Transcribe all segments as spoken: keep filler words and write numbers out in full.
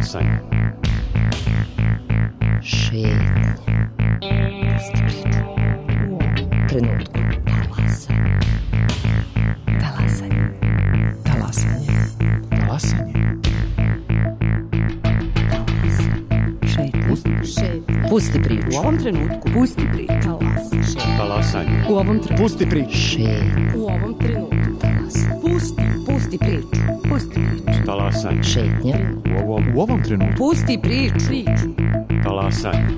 Talasanje. Šetnje. Trenutku. Talasanje. Talasanje. Talasanje. Talasanje. Šetnje. Pusti priču. U ovom trenutku. Pusti priču. Talasanje. Talasanje. U ovom trenutku. Pusti priču. Šetnje. U ovom trenutku. Talasanje. Pusti. Pusti priču. Pusti priču. Talasanje. Šetnje. U ovom, U ovom trenutku. Pusti priču. Priču. talasanje.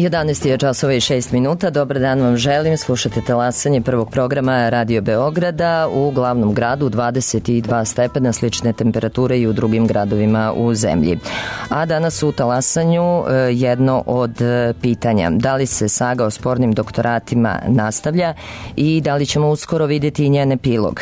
jedanaest je časova i šest minuta. Dobar dan vam želim. Slušate talasanje prvog programa Radio Beograda. U glavnom gradu dvadeset dva stepena, slične temperature i u drugim gradovima u zemlji. A danas u talasanju jedno od pitanja. Da li se saga o spornim doktoratima nastavlja i da li ćemo uskoro vidjeti njen epilog?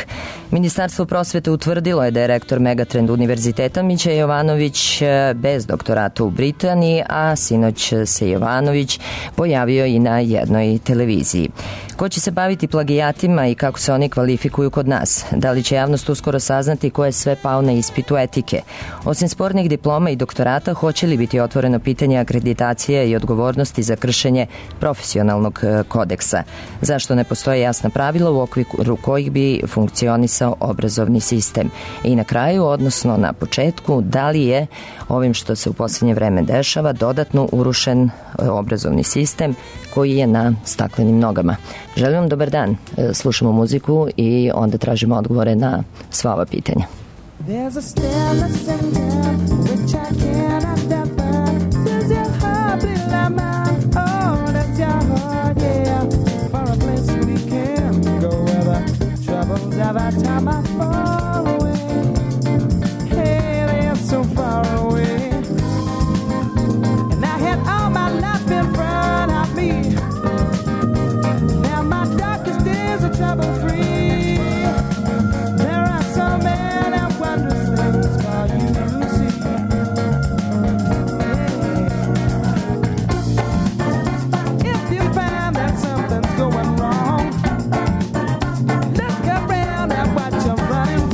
Ministarstvo prosvete utvrdilo je da je rektor Megatrend univerziteta Mića Jovanović bez doktorata u Britaniji, a sinoć se Jovanović pojavio i na jednoj televiziji. Ko će se baviti plagijatima i kako se oni kvalifikuju kod nas? Da li će javnost uskoro saznati ko je sve pao na ispitu etike? Osim spornih diploma i doktorata, hoće li biti otvoreno pitanje akreditacije i odgovornosti za kršenje profesionalnog kodeksa? Zašto ne postoje jasna pravila u okviru kojih bi funkcionisao obrazovni sistem? I na kraju, odnosno na početku, da li je ovim što se u posljednje vreme dešava dodatno urušen obrazovni sistem koji je na staklenim nogama? Želim vam dobar dan. Slušamo muziku i onda tražimo odgovore na sva ova pitanja. There's a stillness in time which I cannot define. Does your heart be like mine? Oh, that's your heart, yeah. For a place we can go where the troubles of our time are far away. Hey, they're so far away. And I had all my life in front of me. Now my darkest days are trouble free. There are so many wondrous things for you to see. Yeah. If you find that something's going wrong, look around at what you're running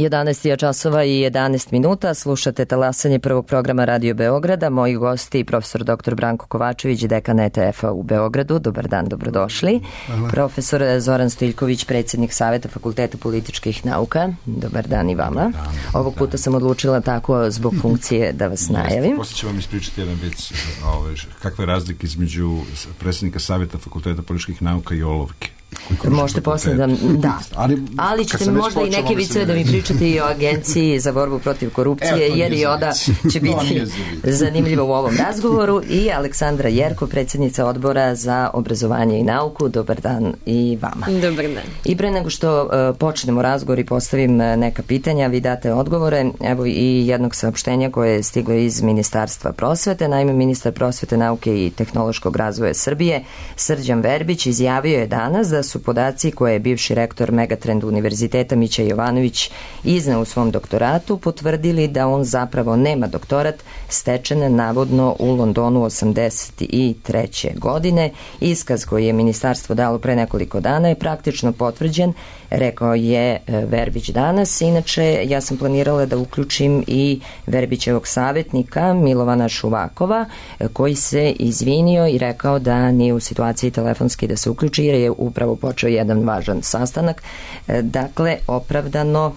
jedanaest je časova i jedanaest minuta, slušate talasanje prvog programa Radio Beograda. Moji gosti, profesor doktor Branko Kovačević, dekan E T F-a u Beogradu. Dobar dan, dobrodošli. Hvala. Profesor Zoran Stiljković, predsjednik Saveta Fakulteta političkih nauka. Dobar dan i vama. Dan, Ovog puta dan. sam odlučila tako zbog funkcije da vas najavim. Posle ću vam ispričati jedan vic, ove, kakve razlike između predsjednika Saveta Fakulteta političkih nauka i olovke. Možete posle da... Da, ali, ali ćete mi možda i neke viceve da mi pričate i o Agenciji za borbu protiv korupcije, Evo, jer i oda će biti zanimljivo u ovom razgovoru. I Aleksandra Jerko, predsjednica odbora za obrazovanje i nauku. Dobar dan i vama. Dobar dan. I pre nego što uh, počnemo razgovor i postavim neka pitanja, vi date odgovore. Evo i jednog saopštenja koje je stiglo iz Ministarstva prosvete. Naime, ministar prosvete, nauke i tehnološkog razvoja Srbije, Srđan Verbić, izjavio je danas da su podaci koje je bivši rektor Megatrend univerziteta Mića Jovanović izneo u svom doktoratu potvrdili da on zapravo nema doktorat, stečen navodno u Londonu osamdeset treće godine. Iskaz koji je ministarstvo dalo pre nekoliko dana je praktično potvrđen, rekao je Verbić danas. Inače, ja sam planirala da uključim i Verbićevog savjetnika Milovana Šuvakova, koji se izvinio i rekao da nije u situaciji telefonski da se uključi, jer je upravo počeo jedan važan sastanak. Dakle, opravdano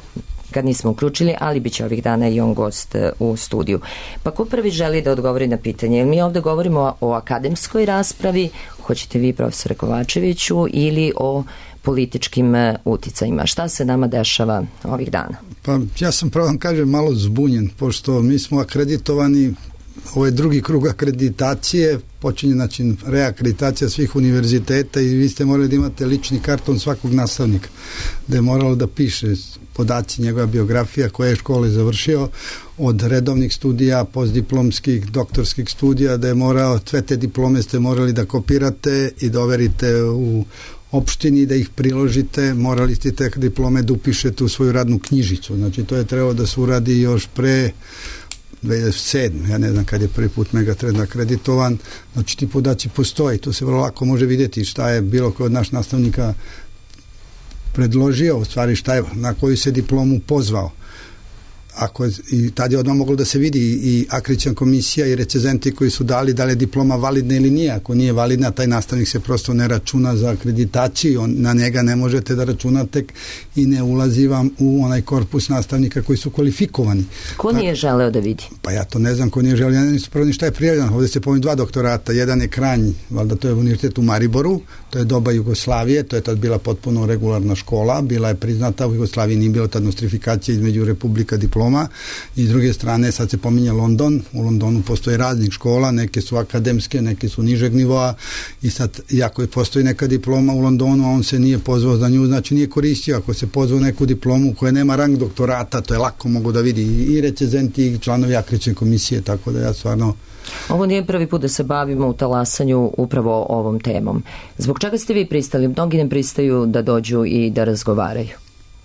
kad nismo uključili, ali bit će ovih dana i on gost u studiju. Pa ko prvi želi da odgovori na pitanje? Mi ovde govorimo o akademskoj raspravi, hoćete vi, profesore Kovačeviću, ili o političkim uticajima. Šta se nama dešava ovih dana? Pa ja sam, pravo vam kažem, malo zbunjen, pošto mi smo akreditovani, ovo je drugi krug akreditacije, počinje znači reakreditacija svih univerziteta i vi ste morali da imate lični karton svakog nastavnika, da je moralo da piše podaci, njegova biografija, koje je škole završio, od redovnih studija, postdiplomskih, doktorskih studija, da je morao, sve te diplome ste morali da kopirate i da overite u opštini, da ih priložite, morali ste te diplome da upišete u svoju radnu knjižicu. Znači to je trebalo da se uradi još pre dve hiljade sedme. Ja ne znam kad je prvi put Megatrend akreditovan. Znači ti podaci postoji, to se vrlo lako može vidjeti šta je bilo koji od naš nastavnika predložio, u stvari šta je, na koju se diplomu pozvao. Ako je, i tad je odmah moglo da se vidi i akreditaciona komisija i recenzenti koji su dali da li je diploma validna ili nije. Ako nije validna, taj nastavnik se prosto ne računa za akreditaciju, on, na njega ne možete da računate i ne ulazi vam u onaj korpus nastavnika koji su kvalifikovani. Ko nije želeo da vidi? Pa ja to ne znam ko nije želeo, ja ne znam prvo ni šta je prijavljeno. Ovdje se pominju dva doktorata, jedan je Kranj, valjda to je univerzitet u Mariboru, to je doba Jugoslavije, to je tad bila potpuno regularna škola, bila je priznata, u Jugoslaviji nije bilo tad nostrifikacije između republika diploma. I s druge strane sad se pominje London, u Londonu postoje raznih škola, neke su akademske, neke su nižeg nivoa i sad, iako je postoji neka diploma u Londonu, a on se nije pozvao za nju, znači nije koristio. Ako se pozvao neku diplomu koja nema rang doktorata, to je lako mogu da vidi i recenzenti i članovi akreditacione komisije, tako da ja stvarno... Ovo nije prvi put da se bavimo u talasanju upravo ovom temom. Zbog čega ste vi pristali? Mnogi ne pristaju da dođu i da razgovaraju.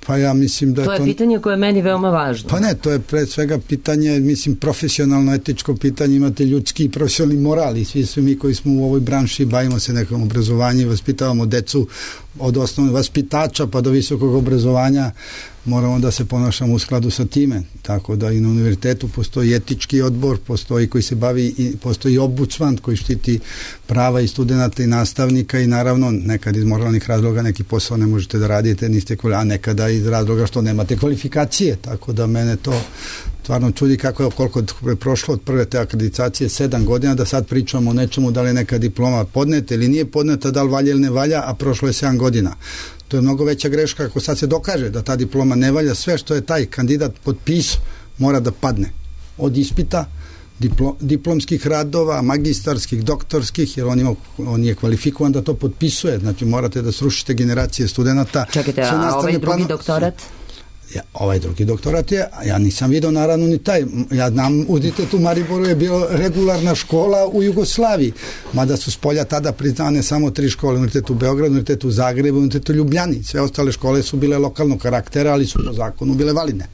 Pa ja mislim da to je to... pitanje koje je meni veoma važno. Pa ne, to je pre svega pitanje, mislim, profesionalno, etičko pitanje, imate ljudski i profesionalni moral i svi svi mi koji smo u ovoj branši bavimo se nekom obrazovanju i vaspitavamo decu od osnovnog vaspitača pa do visokog obrazovanja, moramo da se ponašamo u skladu sa time. Tako da i na univerzitetu postoji etički odbor, postoji koji se bavi i postoji ombudsman koji štiti prava i studenta i nastavnika i naravno nekad iz moralnih razloga neki posao ne možete da radite, niste kvalifikaciji, a nekada iz razloga što nemate kvalifikacije. Tako da mene to stvarno čudi kako je koliko je prošlo od prve te akreditacije sedam godina da sad pričamo o nečemu da li je neka diploma podneta ili nije podneta, da li valja ili ne valja, a prošlo je sedam godina. To je mnogo veća greška ako sad se dokaže da ta diploma ne valja, sve što je taj kandidat potpisao mora da padne. Od ispita, diplo, diplomskih radova, magistarskih, doktorskih, jer on, ima, on je kvalifikovan da to potpisuje. Znači morate da srušite generacije studenta. Čekajte, a ovaj drugi plano, doktorat? Ja, ovaj drugi doktorat je, ja nisam vidio naravno ni taj, ja znam, univerzitet u Mariboru je bilo regularna škola u Jugoslaviji, mada su s polja tada priznane samo tri škole, univerzitet u Beogradu, univerzitet u Zagrebu, univerzitet u Ljubljani, sve ostale škole su bile lokalnog karaktera, ali su po zakonu bile validne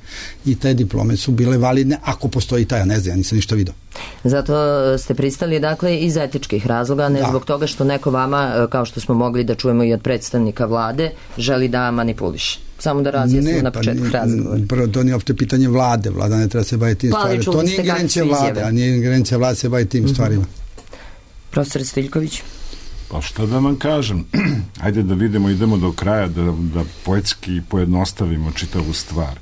i te diplome su bile validne ako postoji taj, ja ne znam, ja nisam ništa vidio. Zato ste pristali, dakle, iz etičkih razloga, ne da. Zbog toga što neko vama, kao što smo mogli da čujemo i od predstavnika vlade, želi da manipuliše. Samo da razjasnimo na početku pa razgovora. Prvo, to nije opšte pitanje vlade. Vlada ne treba se baviti tim pa, stvarima. To nije ingerencija vlade, a nije ingerencija vlade se baviti tim mm-hmm. stvarima. Profesor Stiljković. Pa šta da vam kažem? Ajde da vidimo, idemo do kraja, da, da poetski pojednostavimo čitavu stvar.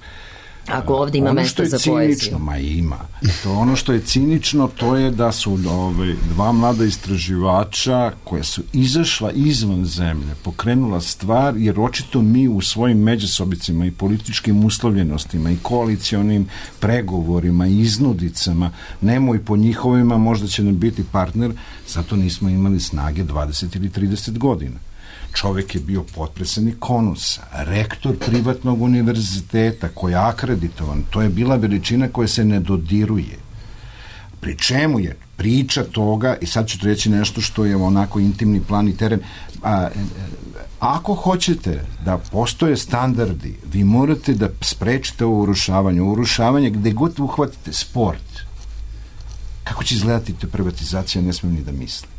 Ako ovdje ima ono mesta za cinično, poeziju. Ma ima. To ono što je cinično, to je da su ove, dva mlada istraživača koja su izašla izvan zemlje, pokrenula stvar, jer očito mi u svojim međusobicima i političkim uslovljenostima i koalicionim pregovorima i iznudicama, nemoj po njihovima, možda će nam biti partner, zato nismo imali snage dvadeset ili trideset godina. Čovjek je bio potpredsjednik Konusa, rektor privatnog univerziteta koji je akreditovan. To je bila veličina koja se ne dodiruje. Pri čemu je priča toga, i sad ću ti reći nešto što je onako intimni plan i teren, a, ako hoćete da postoje standardi, vi morate da sprečite ovo urušavanje. Urušavanje gde god uhvatite sport. Kako će izgledati te privatizacija, ne smijem ni da mislim.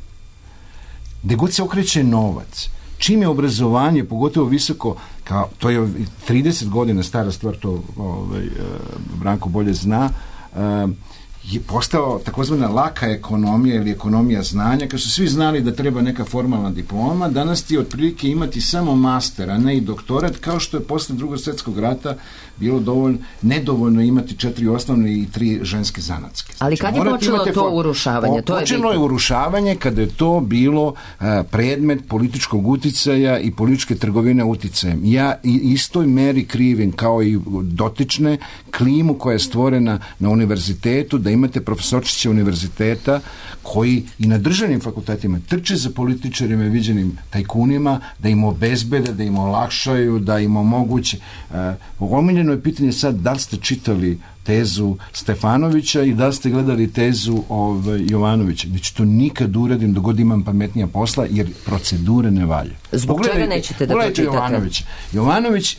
Gde god se okreće novac, čim je obrazovanje, pogotovo visoko, kao, to je trideset godina stara stvar, to ovaj, Branko bolje zna, je postao takozvana laka ekonomija ili ekonomija znanja, kad su svi znali da treba neka formalna diploma, danas ti otprilike imati samo master, a ne i doktorat, kao što je posle drugog svjetskog rata bilo dovoljno, nedovoljno imati četiri osnovne i tri ženske zanatske. Ali Znači, kad je počelo to for... urušavanje? O, to počelo je, je urušavanje kada je to bilo a, predmet političkog uticaja i političke trgovine uticajem. Ja i istoj meri krivim kao i dotične klimu koja je stvorena na univerzitetu, da imate profesorčiće univerziteta koji i na državnim fakultetima trče za političarima viđenim tajkunima, da im obezbede, da im olakšaju, da im omoguće. Uh, omiljeno je pitanje sad da li ste čitali tezu Stefanovića i da li ste gledali tezu ovaj, Jovanovića. Znači to nikad uradim dok god imam pametnija posla, jer procedure ne valje. Zbog čega nećete da to čitate? Jovanović. Jovanović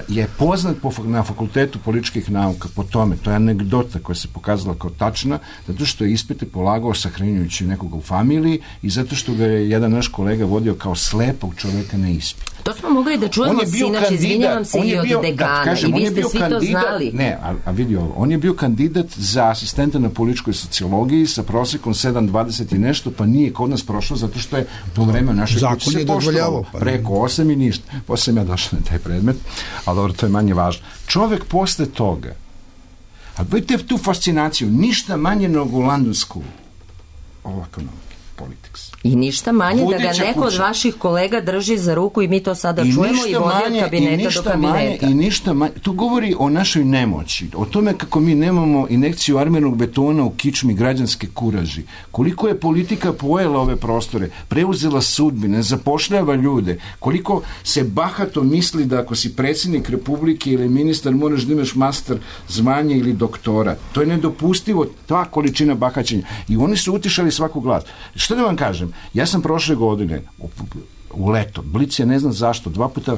je poznat po, na fakultetu političkih nauka po tome, to je anegdota koja se pokazala kao tačna, zato što je ispite polagao sahranjujući nekoga u familiji i zato što ga je jedan naš kolega vodio kao slepog čoveka na ispit. To smo mogli da čujemo sinoć, izvinjavam se i od bio, dekana, kažem, i vi ste svi kandidat, to znali. Ne, a, a vidi ovo, on je bio kandidat za asistenta na političkoj sociologiji sa prosekom sedam dvadeset i nešto, pa nije kod nas prošlo zato što je u to vreme našoj kući se poštovalo pa preko osam i ništa. Posle sam ja došao na taj predmet, ali dobro, to je manje važno. Čovek posle toga, a vidite tu fascinaciju, ništa manje nego u London School, ovo ekonomike, politics. I ništa manje Vodeća da ga neko kuća. od vaših kolega drži za ruku i mi to sada I čujemo i vodi manje, od kabineta i ništa do kabineta. Manje, I ništa manje, to govori o našoj nemoći, o tome kako mi nemamo injekciju armenog betona u kičmi građanske kuraži, koliko je politika pojela ove prostore, preuzela sudbine, zapošljava ljude, koliko se bahato misli da ako si predsjednik Republike ili ministar moraš da imaš master zvanje ili doktora. To je nedopustivo, ta količina bahaćenja. I oni su utišali svaku glas. Što da vam kažem? Ja sam prošle godine u, u leto, Blic je ne znam zašto, dva puta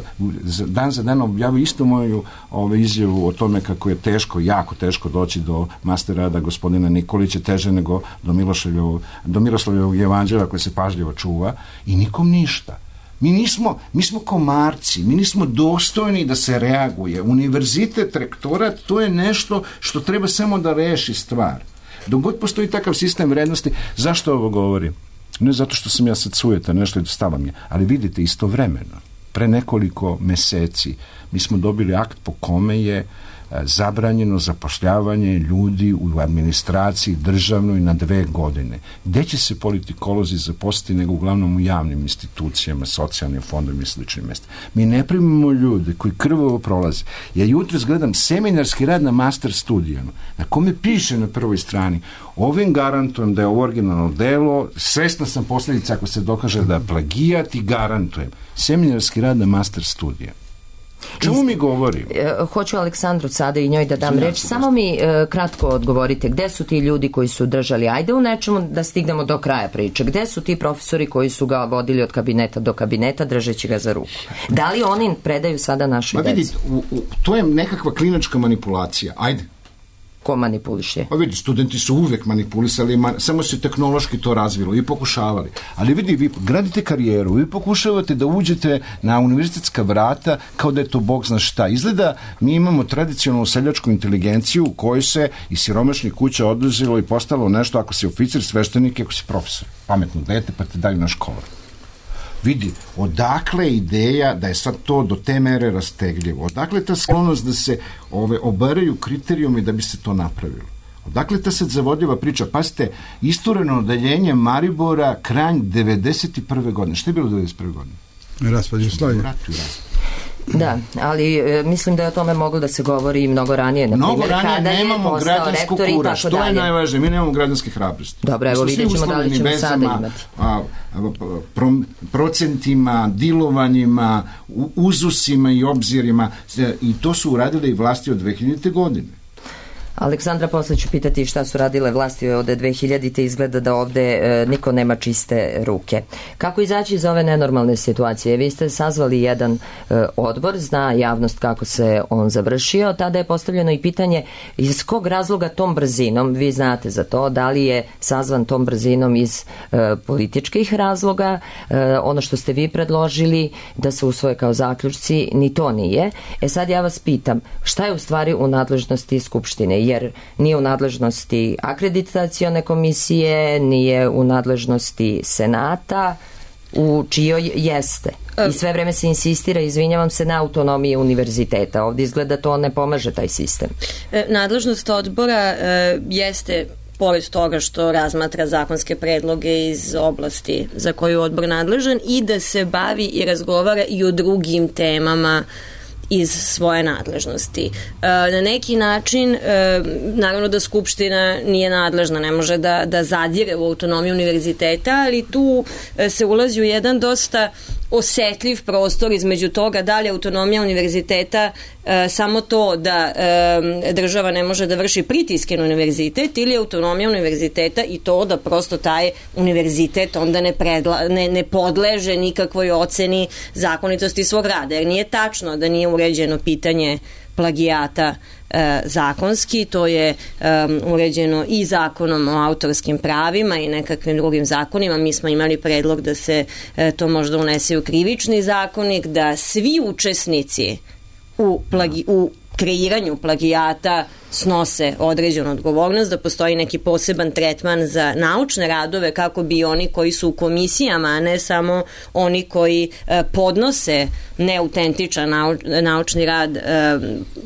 dan za danom objavio isto moju ove, izjavu o tome kako je teško, jako teško doći do master rada gospodina Nikolića, teže nego do, do Miroslavljevog evanđelja koje se pažljivo čuva i nikom ništa. Mi nismo, mi smo komarci, mi nismo dostojni da se reaguje. Univerzitet, rektorat, to je nešto što treba samo da reši stvar. Dok god postoji takav sistem vrednosti, zašto ovo govorim? Ne zato što sam ja sad sujeta, nešto je stalo mi je, ali vidite, istovremeno, pre nekoliko meseci, mi smo dobili akt po kome je zabranjeno zapošljavanje ljudi u administraciji državnoj na dve godine. Gde će se politikolozi zaposliti nego uglavnom u javnim institucijama, socijalnim fondom i sličnim mestima. Mi ne primimo ljude koji krvavo prolaze. Ja jutros gledam seminarski rad na master studijama, na kome piše na prvoj strani ovim garantujem da je ovo originalno delo, svesna sam posljedica ako se dokaže da je plagijat i garantujem. Seminarski rad na master studijama. Čemu mi govorimo? Hoću Aleksandru sada i njoj da dam reč. Samo mi e, kratko odgovorite. Gde su ti ljudi koji su držali? Ajde u nečemu da stignemo do kraja priče. Gde su ti profesori koji su ga vodili od kabineta do kabineta držeći ga za ruku? Da li oni predaju sada našoj deci? Ma vidite, u, u, to je nekakva klinačka manipulacija. Ajde. Ko manipuliše? Pa vidi, studenti su uvek manipulisali, man, samo se tehnološki to razvilo i pokušavali. Ali vidi, vi gradite karijeru, vi pokušavate da uđete na univerzitetska vrata kao da je to bog zna šta. Izgleda, mi imamo tradicionalnu seljačku inteligenciju u kojoj se iz siromašnih kuća oduzelo i postalo nešto ako si oficir, sveštenik, ako si profesor. Pametno dete, pa te daju na školu. Vidi, odakle ideja da je sad to do te mere rastegljivo? Odakle ta sklonost da se ove, obaraju kriterijumi da bi se to napravilo? Odakle ta sad zavodljiva priča? Pazite, istureno odaljenje Maribora Kranj devedeset prve godine. Šta je bilo devedeset prve godine? Raspad Jugoslavije. Da, ali e, mislim da je o tome moglo da se govori i mnogo ranije. Na mnogo primjer, ranije kada nemamo građansku kura, što dalje. Je najvažnije, mi nemamo građanske hrabrosti. Dobro, evo vidjet ćemo da li ćemo sada imati. A, a, pro, procentima, dilovanjima, uzusima i obzirima, i to su uradile i vlasti od dve hiljadite godine. Aleksandra, posle ću pitati šta su radile vlasti od dve hiljadite. Izgleda da ovde e, niko nema čiste ruke. Kako izaći iz ove nenormalne situacije? Vi ste sazvali jedan e, odbor, zna javnost kako se on završio. Tada je postavljeno i pitanje iz kog razloga tom brzinom, vi znate za to, da li je sazvan tom brzinom iz e, političkih razloga, e, ono što ste vi predložili da se usvoje kao zaključci, ni to nije. E sad ja vas pitam, šta je u stvari u nadležnosti Skupštine? Jer nije u nadležnosti akreditacione komisije, nije u nadležnosti Senata, u čijoj jeste. I sve vreme se insistira, izvinjavam se, na autonomiji univerziteta. Ovdje izgleda to ne pomaže taj sistem. Nadležnost odbora e, jeste, pored toga što razmatra zakonske predloge iz oblasti za koju je odbor nadležan, i da se bavi i razgovara i o drugim temama iz svoje nadležnosti. E, na neki način, e, naravno da Skupština nije nadležna, ne može da, da zadire u autonomiju univerziteta, ali tu e, se ulazi u jedan dosta osetljiv prostor između toga da li je autonomija univerziteta e, samo to da e, država ne može da vrši pritiske na univerzitet, ili autonomija univerziteta i to da prosto taj univerzitet onda ne, predla, ne, ne podleže nikakvoj oceni zakonitosti svog rada, jer nije tačno da nije uređeno pitanje plagijata e, zakonski, to je e, uređeno i zakonom o autorskim pravima i nekakvim drugim zakonima. Mi smo imali predlog da se e, to možda unese u krivični zakonik, da svi učesnici u, plagi, u kreiranju plagijata snose određenu odgovornost, da postoji neki poseban tretman za naučne radove kako bi oni koji su u komisijama, a ne samo oni koji e, podnose neautentičan nau, naučni rad, e,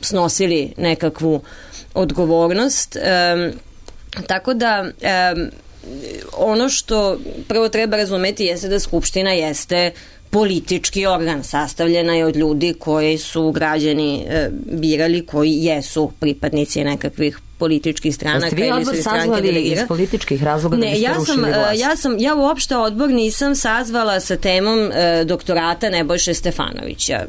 snosili nekakvu odgovornost. E, tako da e, ono što prvo treba razumeti jeste da Skupština jeste politički organ, sastavljena je od ljudi koji su građani e, birali, koji jesu pripadnici nekakvih političkih stranaka. Jeste vi odbor sazvali iz političkih razloga ne, da biste ja sam, rušili vlast? Ja sam, ja uopšte odbor nisam sazvala sa temom e, doktorata Nebojše Stefanovića.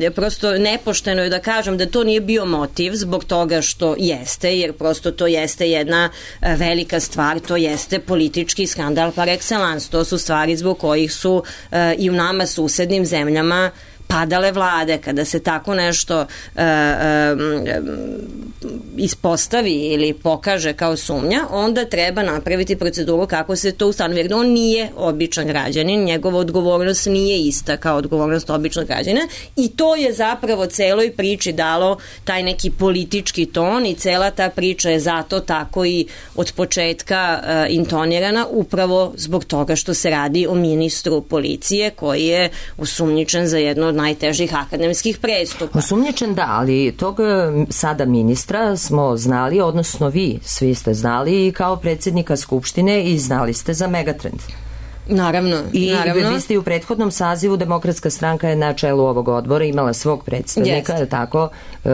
E, prosto nepošteno je da kažem da to nije bio motiv zbog toga što jeste, jer prosto to jeste jedna e, velika stvar, to jeste politički skandal par excellence. To su stvari zbog kojih su e, i u nama susednim zemljama padale vlade. Kada se tako nešto uh, um, ispostavi ili pokaže kao sumnja, onda treba napraviti proceduru kako se to ustanovi. Jer on nije običan građanin, njegova odgovornost nije ista kao odgovornost običnog građana, i to je zapravo celoj priči dalo taj neki politički ton, i cela ta priča je zato tako i od početka uh, intonirana, upravo zbog toga što se radi o ministru policije koji je osumnjičen za jedno od najtežih akademskih prestupa. Osumnjičen da, ali tog sada ministra smo znali, odnosno vi svi ste znali kao predsjednika Skupštine i znali ste za Megatrend. Naravno, I naravno. vi ste i u prethodnom sazivu, Demokratska stranka je na čelu ovog odbora imala svog predstavnika, je tako? Uh,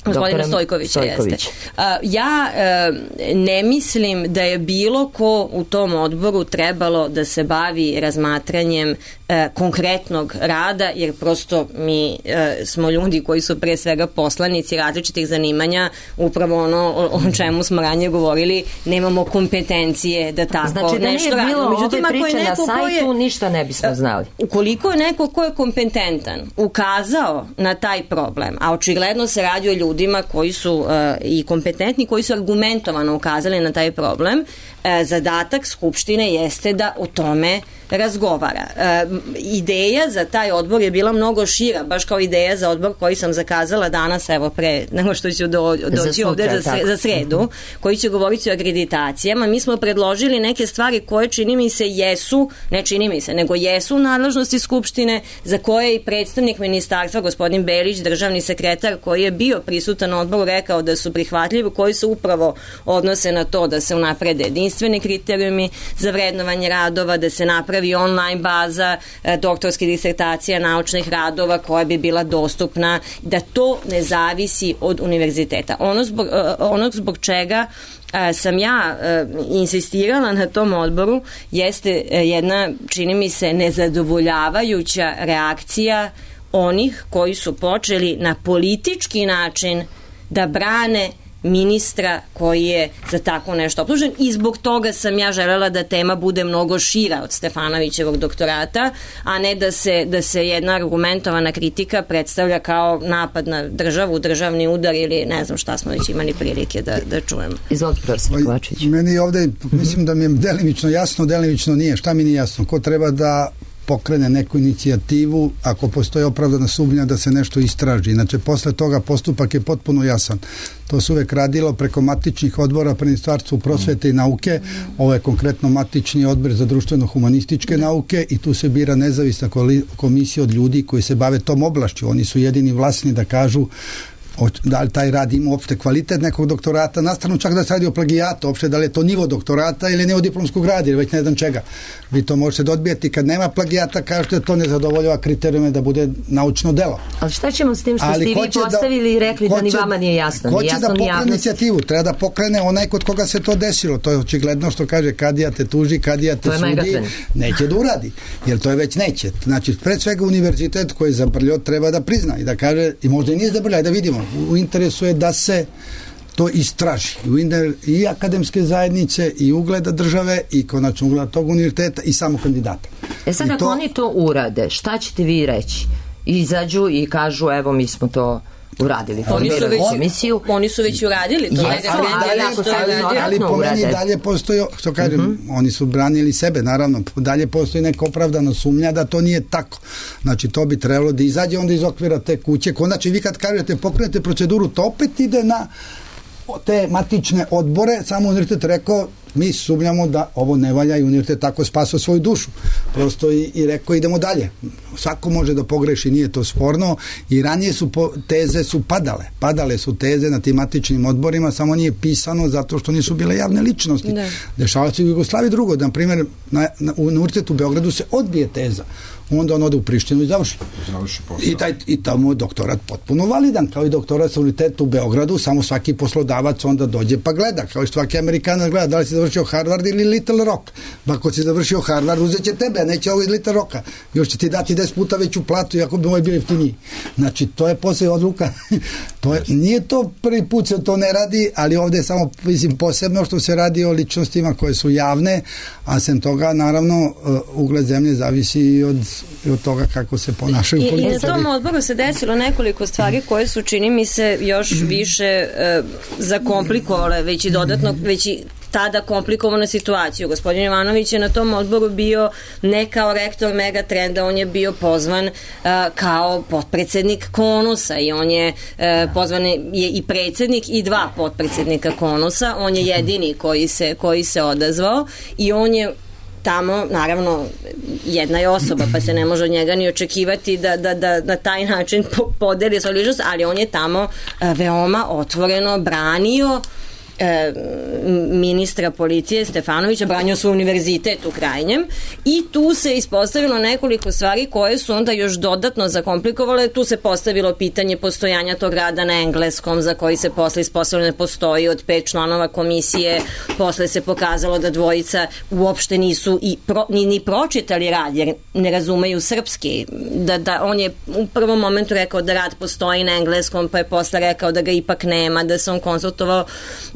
Gospodina Stojkovića, Stojković. jeste. Uh, ja uh, ne mislim da je bilo ko u tom odboru trebalo da se bavi razmatranjem uh, konkretnog rada, jer prosto mi uh, smo ljudi koji su pre svega poslanici različitih zanimanja, upravo ono o, o čemu smo ranije govorili, nemamo kompetencije da tako znači, da nešto radimo. Međutim, ako je neko na sajtu ko je, ništa ne bismo znali. Ukoliko je neko ko je kompetentan ukazao na taj problem, a očigledno se radi o ljudima koji su uh, i kompetentni, koji su argumentovano ukazali na taj problem, uh, zadatak Skupštine jeste da o tome razgovara. E, ideja za taj odbor je bila mnogo šira, baš kao ideja za odbor koji sam zakazala danas, evo pre nego što ću do, doći za ovde za, za sredu, mm-hmm. koji će govoriti o akreditacijama. Mi smo predložili neke stvari koje čini mi se jesu, ne čini mi se, nego jesu u nadležnosti Skupštine, za koje je i predstavnik ministarstva, gospodin Belić, državni sekretar, koji je bio prisutan na odboru, rekao da su prihvatljivi, koji se upravo odnose na to da se unaprede jedinstveni kriterijumi za vrednovanje radova, da se napravi online baza e, doktorskih disertacija, naučnih radova koja bi bila dostupna, da to ne zavisi od univerziteta. Ono zbog, e, ono zbog čega e, sam ja e, insistirala na tom odboru jeste e, jedna, čini mi se, nezadovoljavajuća reakcija onih koji su počeli na politički način da brane ministra koji je za tako nešto optužen i zbog toga sam ja želela da tema bude mnogo šira od Stefanovićevog doktorata, a ne da se, da se jedna argumentovana kritika predstavlja kao napad na državu, državni udar ili ne znam šta smo već imali prilike da, da čujemo. Izvolite, profesor Kovačević. Meni ovde, mislim da mi je delimično jasno, delimično nije. Šta mi nije jasno? Ko treba da pokrene neku inicijativu ako postoji opravdana sumnja da se nešto istraži. Znači, posle toga postupak je potpuno jasan. To se uvek radilo preko matičnih odbora pri Ministarstvu prosvete i nauke. Ovo je konkretno matični odbor za društveno-humanističke nauke i tu se bira nezavisna komisija od ljudi koji se bave tom oblašću. Oni su jedini vlasni da kažu da li taj rad ima uopšte kvalitet nekog doktorata, nastavno čak da se radi o plagijatu, uopšte da li je to nivo doktorata ili neodiplomskog rada ili već ne znam čega. Vi to možete da odbijete kad nema plagijata, kažete da to ne zadovoljava kriterijume da bude naučno delo. Ali šta ćemo s tim što ste vi postavili i rekli da ni vama nije jasno? Ko će da pokrene inicijativu? Treba da pokrene onaj kod koga se to desilo. To je očigledno što kaže kadija te tuži, kadija te sudi, neće da uradi. Jer to je već neće. Znači, pred svega univerzitet koji je zabrljio treba da prizna i da kaže, i možda i nije zabrljio, da vidimo. U interesu je da se to istraži. I akademske zajednice, i ugleda države, i konačno ugleda tog univerziteta, i samo kandidata. E sad, I ako to... oni to urade, šta ćete vi reći? Izađu i kažu, evo, mi smo to uradili. Oni su, već, komisiju. oni su već uradili. To yes, ali, ali, ali, ali po meni dalje postoji, što kažem, uh-huh. oni su branili sebe, naravno, dalje postoji neka opravdana sumnja da to nije tako. Znači, to bi trebalo da izađe onda iz okvira te kuće. Konačno, vi kad kažete, pokrenete proceduru, to opet ide na te matične odbore, samo univerzitet rekao, mi sumnjamo da ovo ne valja i univerzitet tako spasao svoju dušu. Prosto i, i rekao idemo dalje. Svako može da pogreši, nije to sporno i ranije su po, teze su padale. Padale su teze na tim matičnim odborima, samo nije pisano zato što nisu bile javne ličnosti. Ne. Dešava se u Jugoslaviji drugo. Na primjer, na, na, u univerzitetu u Beogradu se odbije teza. Onda on ode u Prištinu i završi. završi I, taj, I tamo je doktorat potpuno validan, kao i doktorat sa univerzitetu u Beogradu, samo svaki poslodavac onda dođe pa gleda, kao i svaki Amerikanac gleda, da li si završio Harvard ili Little Rock. Pa ako si završio Harvard, uzet će tebe, a neće ovo iz Little Rocka. Još će ti dati deset puta veću platu, iako bi moj bio jeftiniji. Znači, to je posle odluka. to je, nije to prvi put se to ne radi, ali ovde je samo, mislim, posebno što se radi o ličnostima koje su javne, a sem toga, naravno, ugled zemlje zavisi i od i od toga kako se ponašaju I, političari. I na tom odboru se desilo nekoliko stvari koje su, čini mi se, još više e, zakomplikovale, već i dodatno, već i tada komplikovanu situaciju. Gospodin Jovanović je na tom odboru bio ne kao rektor Megatrenda, on je bio pozvan uh, kao potpredsednik Konusa i on je uh, pozvan je i predsednik i dva potpredsednika Konusa, on je jedini koji se, koji se odazvao i on je tamo, naravno, jedna je osoba, pa se ne može od njega ni očekivati da, da, da na taj način podeli svoju ličnost, ali on je tamo veoma otvoreno branio e, ministra policije Stefanovića, branio svoj univerzitet u krajnjem i tu se ispostavilo nekoliko stvari koje su onda još dodatno zakomplikovale. Tu se postavilo pitanje postojanja tog rada na engleskom za koji se posle ispostavilo ne postoji od pet članova komisije. Posle se pokazalo da dvojica uopšte nisu i pro, ni, ni pročitali rad jer ne razumeju srpski. Da, da on je u prvom momentu rekao da rad postoji na engleskom, pa je posle rekao da ga ipak nema, da se on konsultovao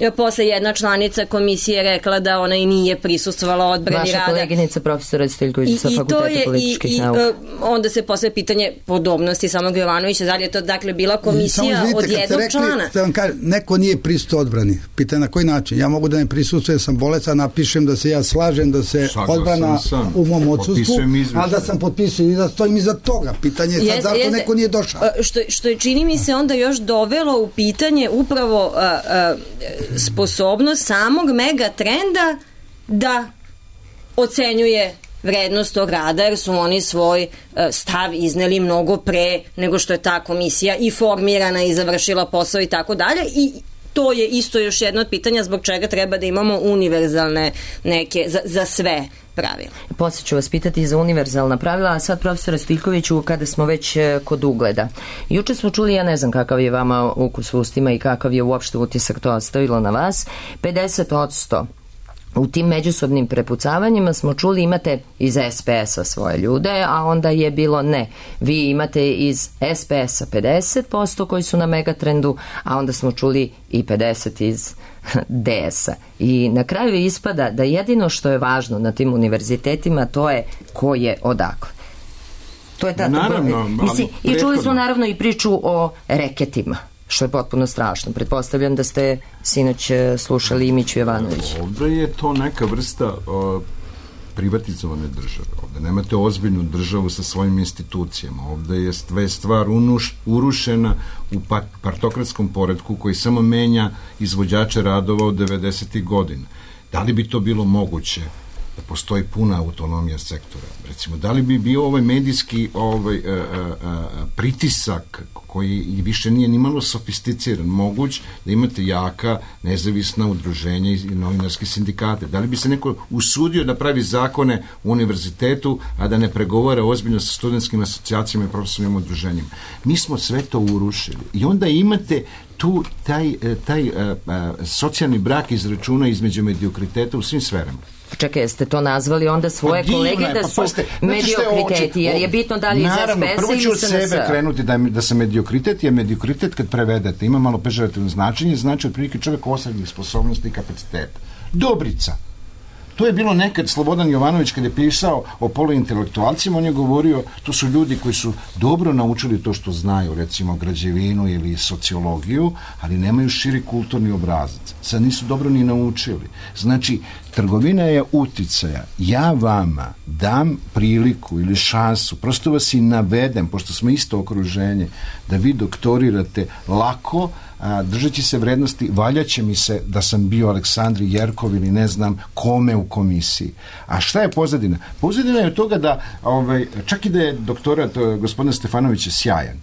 je posle jedna članica komisije rekla da ona i nije prisustvovala odbrani Vaša rada. Vaša koleginica profesora Stiljković sa Fakulteta političkih i, nauka. I onda se posle pitanje podobnosti samog Jovanovića, da li je to dakle bila komisija vidite, od jednog rekli, člana? Vam kažem, neko nije prisustvo odbrani. Pitanje na koji način? Ja mogu da ne prisustvujem, sam bolestan, napišem da se ja slažem, da se Saglasan odbrana sam. u mom odsustvu, ali da sam potpisao i da stojim iza toga. Pitanje je sad Jeste, zašto jeste. neko nije došao. Što, što je čini mi se onda još dovelo u pitanje upravo a, a, sposobnost samog Megatrenda da ocenjuje vrednost tog rada, jer su oni svoj stav izneli mnogo pre nego što je ta komisija i formirana i završila posao i tako dalje, i to je isto još jedno od pitanja zbog čega treba da imamo univerzalne neke, za, za sve pravila. Poslije ću vas pitati za univerzalna pravila, a sad profesora Stiljkoviću, kada smo već kod ugleda. Juče smo čuli, ja ne znam kakav je vama ukus u ustima i kakav je uopšte utisak to ostavilo na vas, pedeset posto u tim međusobnim prepucavanjima smo čuli imate iz es pe es a svoje ljude, a onda je bilo ne. Vi imate iz es pe es a pedeset posto koji su na Megatrendu, a onda smo čuli i pedeset iz de es a. I na kraju ispada da jedino što je važno na tim univerzitetima to je ko je odakle. To je ta, naravno, mislim, i čuli prethodno. smo naravno i priču o reketima, što je potpuno strašno. Pretpostavljam da ste sinoć slušali Imiću Jovanovića. Ovdje je to neka vrsta o, privatizovane države. Ovdje nemate ozbiljnu državu sa svojim institucijama. Ovdje je sve stvar unuš, urušena u par, partokratskom poretku koji samo menja izvođače radova od devedesetih godina. Da li bi to bilo moguće da postoji puna autonomija sektora? Recimo, da li bi bio ovaj medijski ovaj, a, a, a, pritisak koji više nije nimalo sofisticiran, moguć da imate jaka, nezavisna udruženja i novinarske sindikate? Da li bi se neko usudio da pravi zakone u univerzitetu, a da ne pregovara ozbiljno sa studentskim asocijacijama i profesionalnim udruženjima? Mi smo sve to urušili. I onda imate tu taj, taj a, a, socijalni brak iz računa između mediokriteta u svim sferama. Čekaj, jeste to nazvali onda svoje pa kolege je, da pa, su paste, mediokriteti, jer je bitno da li iz es pe es a ili prvo ću od es en es a. sebe krenuti da, da sam mediokritet, jer mediokritet kad prevedete ima malo pežorativno značenje, znači otprilike čovjek osrednjih sposobnosti i kapaciteta. Dobrica. To je bilo nekad Slobodan Jovanović kad je pisao o poluintelektualcima, on je govorio, to su ljudi koji su dobro naučili to što znaju, recimo građevinu ili sociologiju, ali nemaju širi kulturni obrazac. Sad nisu dobro ni naučili. Znači, trgovina je uticaja. Ja vama dam priliku ili šansu, prosto vas i navedem, pošto smo isto okruženje, da vi doktorirate lako, a, držeći se vrednosti, valjaće mi se da sam bio Aleksandri Jerkov ili ne znam kome u komisiji. A šta je pozadina? Pozadina je od toga da, ovaj, čak i da je doktorat gospodina Stefanovića sjajan,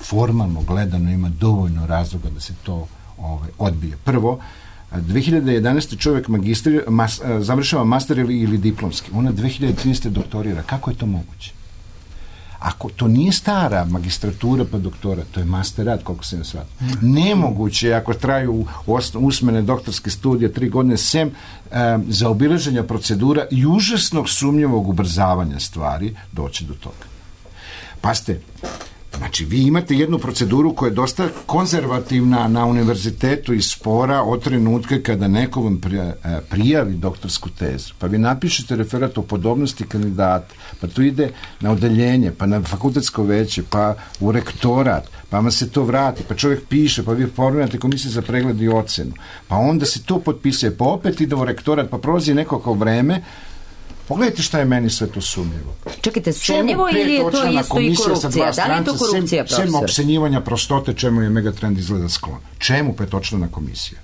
formalno gledano ima dovoljno razloga da se to ovaj, odbije. Prvo, dve hiljade jedanaeste čovjek magistri, mas, završava master ili, ili diplomski. Ona dve hiljade trinaeste doktorira. Kako je to moguće? Ako to nije stara magistratura pa doktorat, to je masterat, koliko se ne shvata. Nemoguće je, ako traju usmene doktorske studije tri godine, sem e, za obilaženja procedura i užasnog sumnjivog ubrzavanja stvari, doći do toga. Paste, znači, vi imate jednu proceduru koja je dosta konzervativna na univerzitetu i spora od trenutka kada neko vam prijavi doktorsku tezu. Pa vi napišete referat o podobnosti kandidata, pa to ide na odeljenje, pa na fakultetsko veće, pa u rektorat, pa vam se to vrati, pa čovjek piše, pa vi formirate komisiju za pregled i ocenu. Pa onda se to potpisuje, pa opet ide u rektorat, pa prolazi nekako vreme. Pogledajte šta je meni sve to sumnjivo. Čekajte, sumnjivo ili je to isto i korupcija? Da li je to korupcija, profesor? Sem opsenjivanja prostote, čemu je Megatrend izgleda sklon. Čemu petočlana komisija?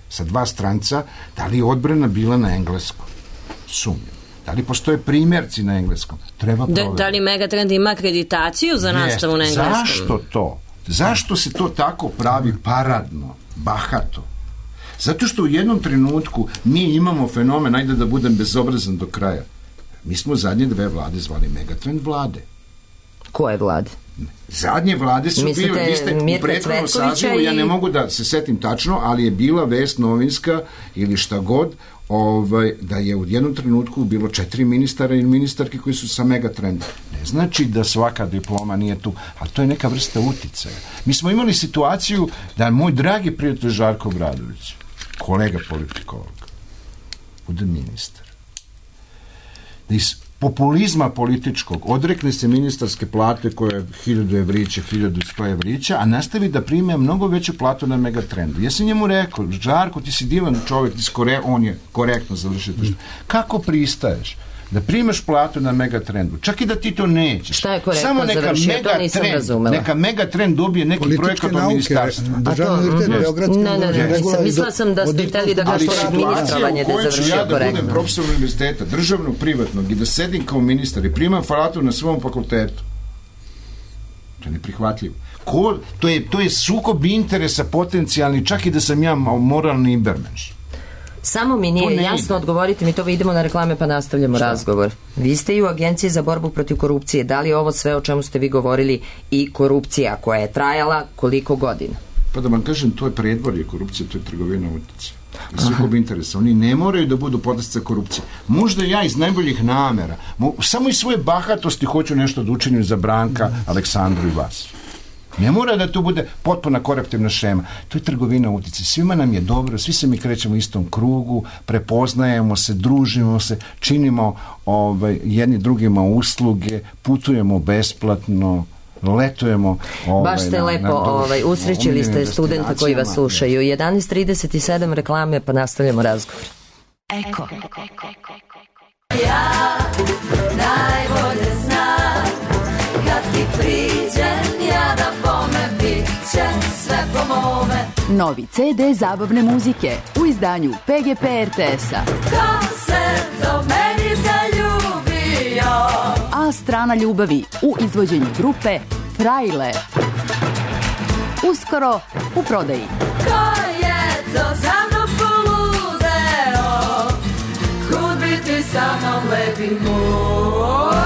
Sa dva stranca, da li je odbrana bila na engleskom? Sumnjivo. Da li postoje primjerci na engleskom? Treba provjeriti. Da, da li Megatrend ima akreditaciju za nastavu na engleskom? Zašto to? Zašto se to tako pravi paradno, bahato? Zato što u jednom trenutku mi imamo fenomen, ajde da budem bezobrazan do kraja. Mi smo zadnje dve vlade zvali Megatrend vlade. Koje vlade? Zadnje vlade su Mislite, bile, vi ste u prethodnom sazivu, i... ja ne mogu da se setim tačno, ali je bila vest novinska ili šta god, ovaj, da je u jednom trenutku bilo četiri ministara ili ministarki koji su sa Megatrendom. Ne znači da svaka diploma nije tu, ali to je neka vrsta uticaja. Mi smo imali situaciju da moj dragi prijatelj Žarko Obradović, kolega politikolog bude ministar, da iz populizma političkog odrekne se ministarske plate koje je hiljadu evrića, hiljadu sto evrića, a nastavi da prime mnogo veću platu na Megatrendu. Ja sam njemu rekao, Žarko, ti si divan čovjek, ti si kore, on je korektno završio. Mm. Kako pristaješ da primaš platu na Megatrendu, čak i da ti to nećeš? Šta je korektno samo neka završio? To nisam razumela. Neka Megatrend dobije neki projekat od ministarstva. Državni univerzitet, Beogradski ne, ne, ne, nisam, mislila sam da ste hteli da kažete ministrovanje da je završio ja da korektno. Budem profesor univerziteta, državnog, privatnog i da sedim kao ministar i primam platu na svom fakultetu. To je neprihvatljivo. Ko, to, je, to je sukob interesa potencijalni, čak i da sam ja moralni ibermenš. Samo mi nije jasno, odgovorite mi to, idemo na reklame pa nastavljamo Šta? razgovor. Vi ste i u Agenciji za borbu protiv korupcije. Da li je ovo sve o čemu ste vi govorili i korupcija koja je trajala koliko godina? Pa da vam kažem, to je predvorje korupcije, to je trgovina uticaja. I sukob interesa. Oni ne moraju da budu podlastica korupcije. Možda ja iz najboljih namera, samo iz svoje bahatosti hoću nešto da učinim za Branka, Aleksandru i vas. Ne mora da to bude potpuna koruptivna šema. To je trgovina uticaja. Svima nam je dobro, svi se mi krećemo u istom krugu, prepoznajemo se, družimo se, činimo ovaj, jedni drugima usluge, putujemo besplatno, letujemo. Ovaj, Baš ste na, lepo na, ovaj, usrećili ste studenta koji vas slušaju. jedanaest trideset sedam reklame pa nastavljamo razgovor. Eko. Ja najbolje znam kad ti priđem ja da bome bit će sve po mome. Novi ce de zabavne muzike u izdanju pe ge pe er te es-a. Ko se do meni zaljubio? A strana ljubavi u izvođenju grupe Frajle. Uskoro u prodaji. Ko je to za mnom poludeo? Kud bi ti sa mnom lepi moj?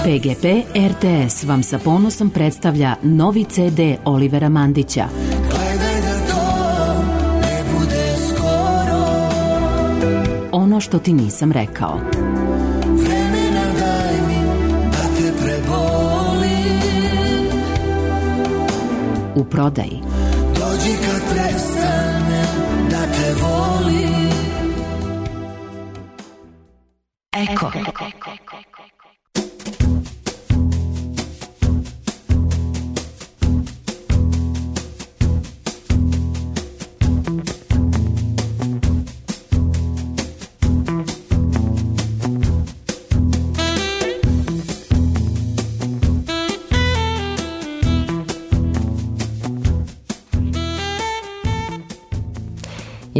pe ge pe er te es vam sa ponosom predstavlja novi ce de Olivera Mandića. Gledaj da to ne bude skoro. Ono što ti nisam rekao. Vremena daj mi da te prebolim. U prodaji. Dođi kad prestanem da te volim. Eko.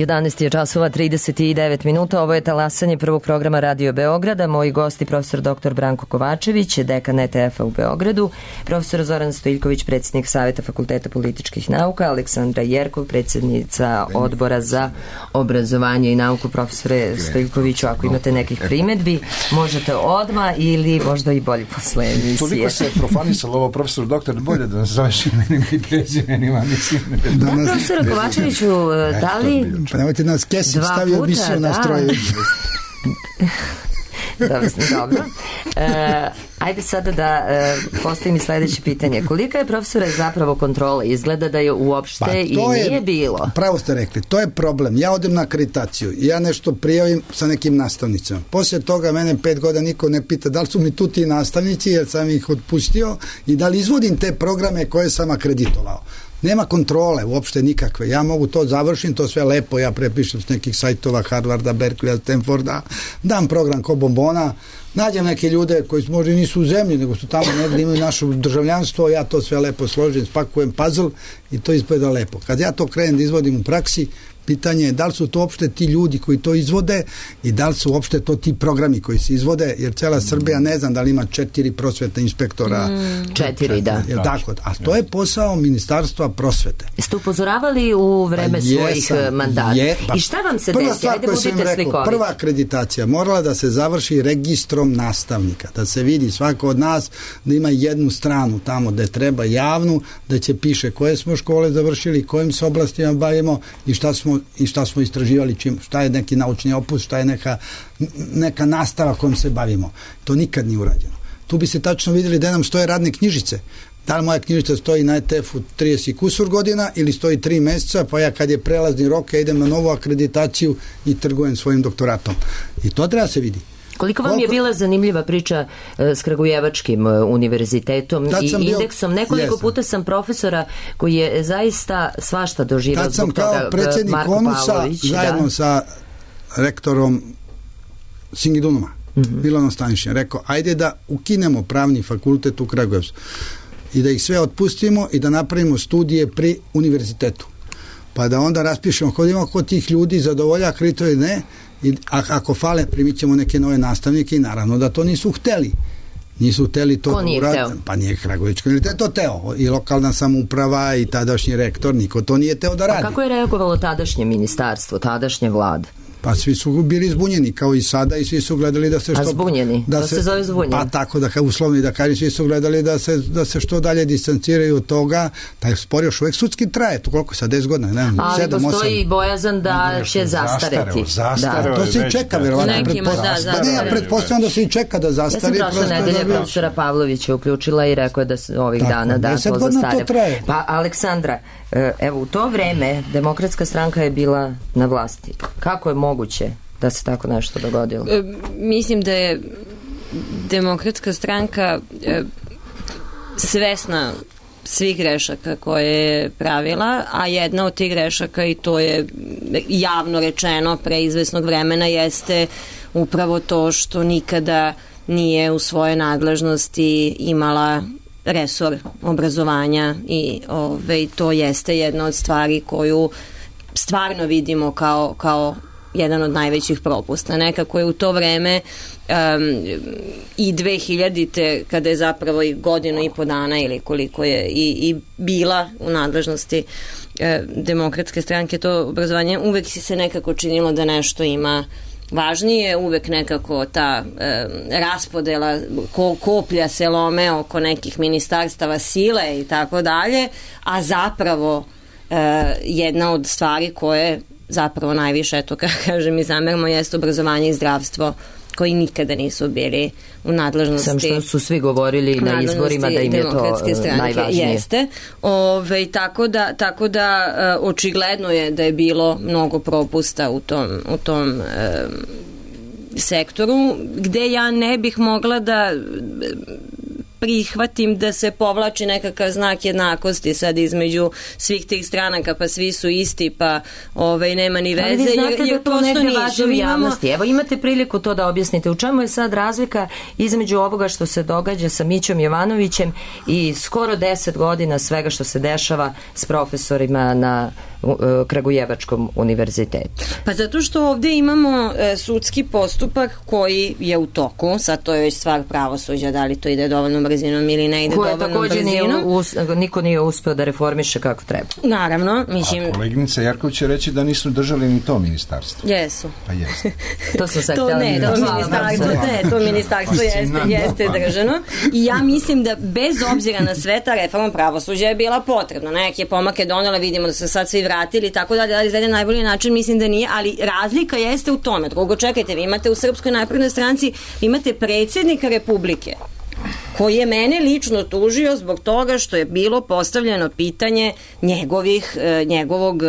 jedanaest je časova trideset devet minuta. Ovo je talasanje prvog programa Radio Beograda. Moji gosti profesor doktor Branko Kovačević, dekan e te efa u Beogradu, profesor Zoran Stojiljković, predsjednik Saveta Fakulteta političkih nauka, Aleksandra Jerkov, predsjednica Odbora za obrazovanje i nauku. Profesore Stojiljkoviću, ako imate nekih primedbi, možete odmah ili možda i bolje posle emisije. Toliko se profanisalo ovo, profesor doktor, bolje da nas zoveš imenima i prezimenima, mislim. Da, profesor Kovačeviću, da li... Pa nemojte nas Kesić stavio emisiju na stroju. Dobro, dobro. E, ajde sada da e, postavim i sledeće pitanje. Kolika je, profesore, zapravo kontrola? Izgleda da je uopšte pa, i nije je, bilo. Pravo ste rekli, to je problem. Ja odem na akreditaciju i ja nešto prijavim sa nekim nastavnicama. Poslije toga mene pet godina niko ne pita da li su mi tu ti nastavnici jer sam ih otpustio i da li izvodim te programe koje sam akreditovao. Nema kontrole uopšte nikakve. Ja mogu to završim, to sve lepo, ja prepišem s nekih sajtova Harvarda, Berkeleya, Stanforda, dam program ko bombona, nađem neke ljude koji možda nisu u zemlji, nego su tamo negdje, imaju naše državljanstvo, ja to sve lepo složim, spakujem puzzle i to izgleda lepo. Kad ja to krenem da izvodim u praksi, pitanje je da li su to uopšte ti ljudi koji to izvode i da li su uopšte to ti programi koji se izvode, jer cela Srbija ne znam da li ima četiri prosvetna inspektora. Mm, četiri, da. Jel tako? A to je posao Ministarstva prosvete. Ste upozoravali u vreme pa svojih jesam, mandata. Je, pa I šta vam se prva desi? Stvar Ajde, koju sam rekao, slikovit. Prva akreditacija morala da se završi registrom nastavnika, da se vidi svako od nas da ima jednu stranu tamo gde treba javnu, da će piše koje smo škole završili, kojim se oblastima bavimo i šta smo i šta smo istraživali, čim, šta je neki naučni opus, šta je neka, neka nastava kojom se bavimo. To nikad nije urađeno. Tu bi se tačno vidjeli da nam stoje radne knjižice. Da li moja knjižica stoji na E T F-u trideset kusur godina ili stoji tri meseca, pa ja kad je prelazni rok ja idem na novu akreditaciju i trgujem svojim doktoratom. I to treba se vidi. Koliko vam je bila zanimljiva priča s Kragujevačkim univerzitetom i indeksom? Nekoliko jesam. puta sam profesora koji je zaista svašta doživao zbog toga. Tad sam kao predsjednik Konusa zajedno da. sa rektorom Singidunuma, mm-hmm. Milanom Stanišićem, rekao, ajde da ukinemo pravni fakultet u Kragujevcu i da ih sve otpustimo i da napravimo studije pri univerzitetu. Pa da onda raspišemo kod ima kod tih ljudi zadovolja akredituje ili ne, i a, ako fale primit ćemo neke nove nastavnike i naravno da to nisu hteli. Nisu hteli to. Ko nije urad, hteo? Pa nije Kragujevački univerzitet to teo. I lokalna samouprava i tadašnji rektor, niko to nije teo da radi. A kako je reagovalo tadašnje ministarstvo, tadašnje vlade? Pa svi su bili zbunjeni kao i sada i svi su gledali da se što... A zbunjeni? Da to se, se zove zbunjeni? Pa tako da uslovni da kažem, svi su gledali da se, da se što dalje distanciraju od toga. Taj spor još uvek sudski traje, to koliko je sad, deset godina, ne znam, ali sedam, postoji osam. bojazan da će zastareti. Da. To se i čeka, verovatno. Ja pretpostavljam da se i čeka da zastari. Ja sam prošle nedelje profesora Pavlovića uključila i rekao je da se ovih tako, dana da to zastare. Pa Aleksandra, evo u to vreme Demokratska stranka je bila na vlasti. Kako je moguće da se tako nešto dogodilo? E, mislim da je Demokratska stranka e, svesna svih grešaka koje je pravila, a jedna od tih grešaka, i to je javno rečeno pre izvesnog vremena, jeste upravo to što nikada nije u svoje nadležnosti imala resor obrazovanja i ove, to jeste jedna od stvari koju stvarno vidimo kao, kao jedan od najvećih propusta. Nekako je u to vreme um, i dve hiljadite kada je zapravo i godinu i po dana ili koliko je i, i bila u nadležnosti eh, Demokratske stranke to obrazovanje, uvek si se nekako činilo da nešto ima važnije, uvek nekako ta e, raspodela ko, koplja se lome oko nekih ministarstava sile i tako dalje, a zapravo e, jedna od stvari koje zapravo najviše, eto kako kažem i zameramo, jeste obrazovanje i zdravstvo, koji nikada nisu bili u nadležnosti. Sam što su svi govorili na izborima da im je to najvažnije. Jeste. Ove, tako da, tako da uh, očigledno je da je bilo mnogo propusta u tom, u tom um, sektoru, gde ja ne bih mogla da prihvatim da se povlači nekakav znak jednakosti sad između svih tih stranaka, pa svi su isti, pa ovaj, nema ni veze. Ali vi znate jer, jer da to negdje važi u javnosti. Imamo... Evo imate priliku to da objasnite. U čemu je sad razlika između ovoga što se događa sa Mićom Jovanovićem i skoro deset godina svega što se dešava s profesorima na uh, Kragujevačkom univerzitetu? Pa zato što ovdje imamo uh, sudski postupak koji je u toku, sad to je već stvar pravosuđa, da li to ide dovoljno brzinom ili ne ide dovoljnom brzinom. Koje također niko nije uspeo da reformiše kako treba. Naravno. Mislim... A koleginica Jarković će reći da nisu držali ni to ministarstvo. Jesu. Pa jesu. To smo sad to ne, to ministarstvo, ne, to ministarstvo jeste, jeste držano. I ja mislim da bez obzira na sve ta reforma pravosuđa je bila potrebna. Neke pomake donela, vidimo da se sad svi vratili i tako dalje, ali za jedan najbolji način mislim da nije, ali razlika jeste u tome. Drugo, čekajte, vi imate u Srpskoj naprednoj stranci, imate predsjednika Republike koji je mene lično tužio zbog toga što je bilo postavljeno pitanje njegovih, njegovog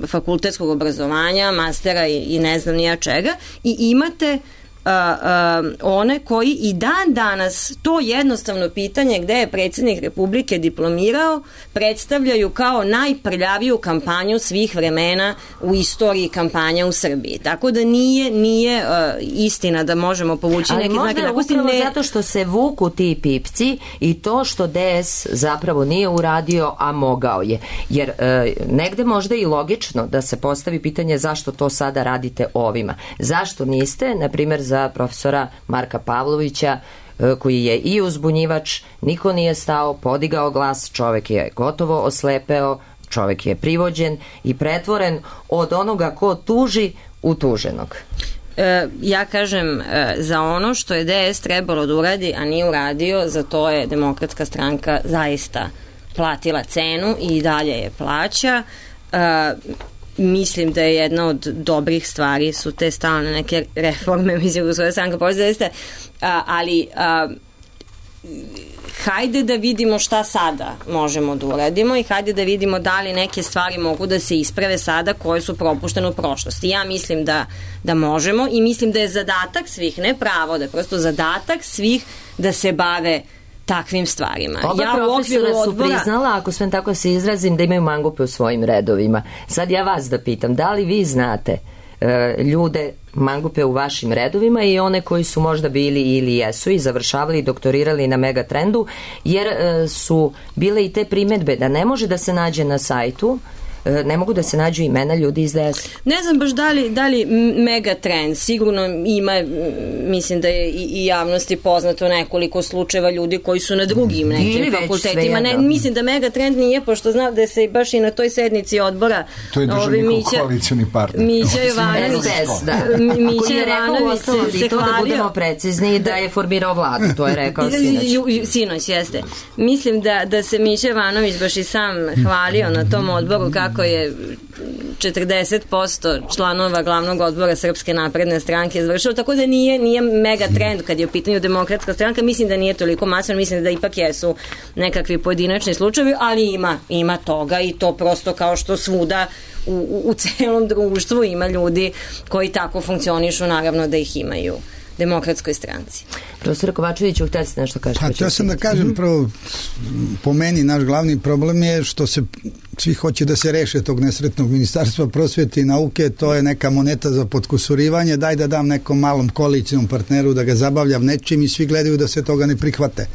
fakultetskog obrazovanja, mastera i, i ne znam nija čega, i imate Uh, uh, one koji i dan danas to jednostavno pitanje gde je predsjednik Republike diplomirao predstavljaju kao najprljaviju kampanju svih vremena u istoriji kampanja u Srbiji. Tako da nije, nije uh, istina da možemo povući ali neke znake. Ali možda upravo ne... zato što se vuku ti pipci i to što D S zapravo nije uradio, a mogao je. Jer uh, negde možda i logično da se postavi pitanje zašto to sada radite ovima. Zašto niste, na primjer, za profesora Marka Pavlovića, koji je i uzbunjivač, niko nije stao, podigao glas, čovek je gotovo oslepeo, čovek je privođen i pretvoren od onoga ko tuži u tuženog. E, ja kažem, e, za ono što je D S trebalo da uradi, a nije uradio, za to je Demokratska stranka zaista platila cenu i dalje je plaća. E, mislim da je jedna od dobrih stvari su te stalne neke reforme, mislim da svoje stranka pozdraviste, ali a, hajde da vidimo šta sada možemo da uradimo i hajde da vidimo da li neke stvari mogu da se isprave sada koje su propuštene u prošlosti. Ja mislim da, da možemo i mislim da je zadatak svih, ne pravo, da je prosto zadatak svih da se bave takvim stvarima. Oba ja profesora su odbora... priznala, ako sve tako se izrazim, da imaju mangupe u svojim redovima. Sad ja vas da pitam, da li vi znate e, ljude mangupe u vašim redovima i one koji su možda bili ili jesu i završavali i doktorirali na Megatrendu, jer e, su bile i te primedbe da ne može da se nađe na sajtu, ne mogu da se nađu imena ljudi iz D S. Ne znam baš da li, da li Megatrend, sigurno ima, mislim da je i, i javnosti poznato nekoliko slučajeva ljudi koji su na drugim nekim fakultetima. Ne, mislim da Megatrend nije, pošto znam da se baš i na toj sednici odbora to je državni Mića, koalicioni partner. Mića Jovanović da. Mića Jovanović se to da budemo precizni da je formirao vladu, to je rekao sinoć. Sinoć, jeste. Mislim da, da se Mića Jovanović baš i sam hvalio na tom odboru kako kako je četrdeset posto članova glavnog odbora Srpske napredne stranke završilo, tako da nije, nije mega trend kad je u pitanju Demokratska stranka, mislim da nije toliko masovno, mislim da ipak jesu nekakvi pojedinačni slučajevi, ali ima, ima toga i to prosto kao što svuda u, u, u celom društvu ima ljudi koji tako funkcionišu, naravno da ih imaju Demokratskoj stranci. Profesor Kovačević, htjeli ste nešto kažete? Pa, htio sam da kažem, prvo, po meni naš glavni problem je što se svi hoće da se reše tog nesretnog Ministarstva prosvete i nauke, to je neka moneta za potkusurivanje, daj da dam nekom malom koalicijnom partneru da ga zabavljam nečim i svi gledaju da se toga ne prihvate.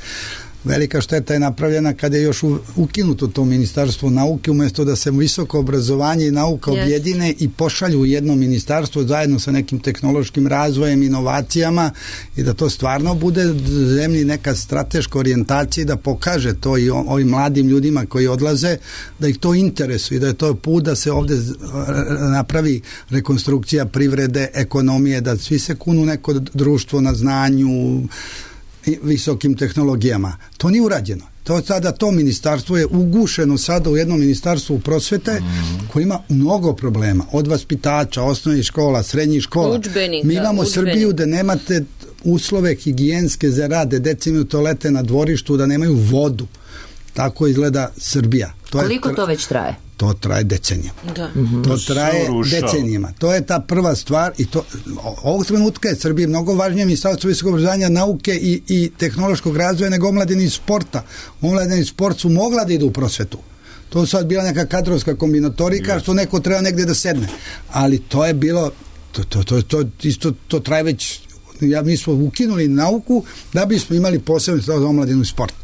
Velika šteta je napravljena kada je još ukinuto to Ministarstvo nauke, umjesto da se visoko obrazovanje i nauka yes. objedine i pošalju u jedno ministarstvo zajedno sa nekim tehnološkim razvojem, inovacijama i da to stvarno bude zemlji neka strateška orijentacija da pokaže to i ovim mladim ljudima koji odlaze, da ih to interesuje i da je to put da se ovdje napravi rekonstrukcija privrede, ekonomije, da svi se kunu neko društvo na znanju, visokim tehnologijama. To nije urađeno. To sada to ministarstvo je ugušeno sada u jednom ministarstvu prosvete mm. koji ima mnogo problema. Od vaspitača, osnovnih škola, srednjih škola. Udžbenika, Mi imamo udžbenika. Srbiju da nemate uslove higijenske za rade, deca imaju toalete na dvorištu, da nemaju vodu. Tako izgleda Srbija. To Koliko je, to već traje? To traje decenijama. Da. Mm-hmm. To traje decenijama. To je ta prva stvar i to, ovog trenutka je Srbiji mnogo važnije Ministarstvo visokog obrazovanja, nauke i, i tehnološkog razvoja nego omladine i sporta. Omladine i sport su mogla da idu u prosvetu. To je sad bila neka kadrovska kombinatorika yes. što neko treba negdje da sedne. Ali to je bilo, to, to, to, to, isto, to traje već, ja, mi smo ukinuli nauku da bismo imali posebno za omladinu i sport.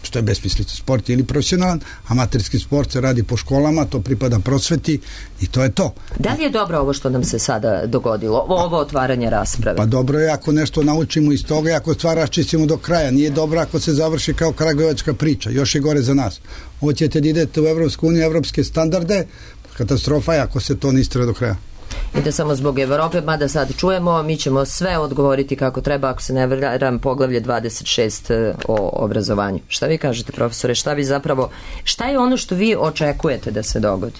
Što je besmislica. Sport je ili profesionalan, amaterski sport se radi po školama, to pripada prosveti i to je to. Da li je dobro ovo što nam se sada dogodilo, ovo otvaranje rasprave? Pa dobro je ako nešto naučimo iz toga i ako stvar raščistimo do kraja. Nije dobro ako se završi kao kragujevačka priča, još je gore za nas. Hoćete da idete u Evropsku uniju, evropske standarde, katastrofa je ako se to ne istraje do kraja. I da samo zbog Evrope, mada sad čujemo, mi ćemo sve odgovoriti kako treba, ako se ne varam, poglavlje dvadeset šest o obrazovanju. Šta vi kažete, profesore, šta vi zapravo, šta je ono što vi očekujete da se dogodi?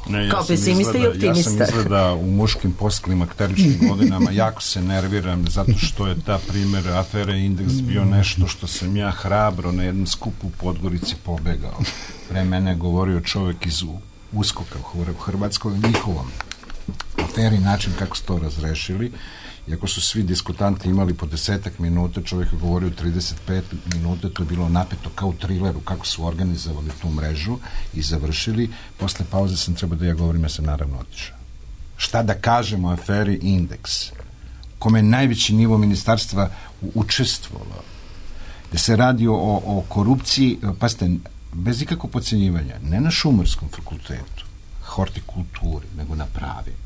Ne, ja kao pesimista i optimista. Ja sam izgleda u muškim postklimakteričnim godinama jako se nerviram zato što je ta primjer afere Indeks bio nešto što sam ja hrabro na jednom skupu u Podgorici pobegao. Pre mene govorio čovjek iz Uskoka u Hrvatskoj, njihovom aferi, način kako su to razrešili. Iako su svi diskutanti imali po desetak minuta, čovjek je govorio trideset pet minuta, to je bilo napeto kao u trileru, kako su organizovali tu mrežu i završili. Posle pauze sam trebao da ja govorim, ja sam naravno otišao. Šta da kažemo o aferi Indeks, kome je najveći nivo ministarstva učestvovalo, gde se radi o, o korupciji, pazite, bez ikakvog podcjenjivanja, ne na Šumarskom fakultetu, hortikulturi, nego na pravima.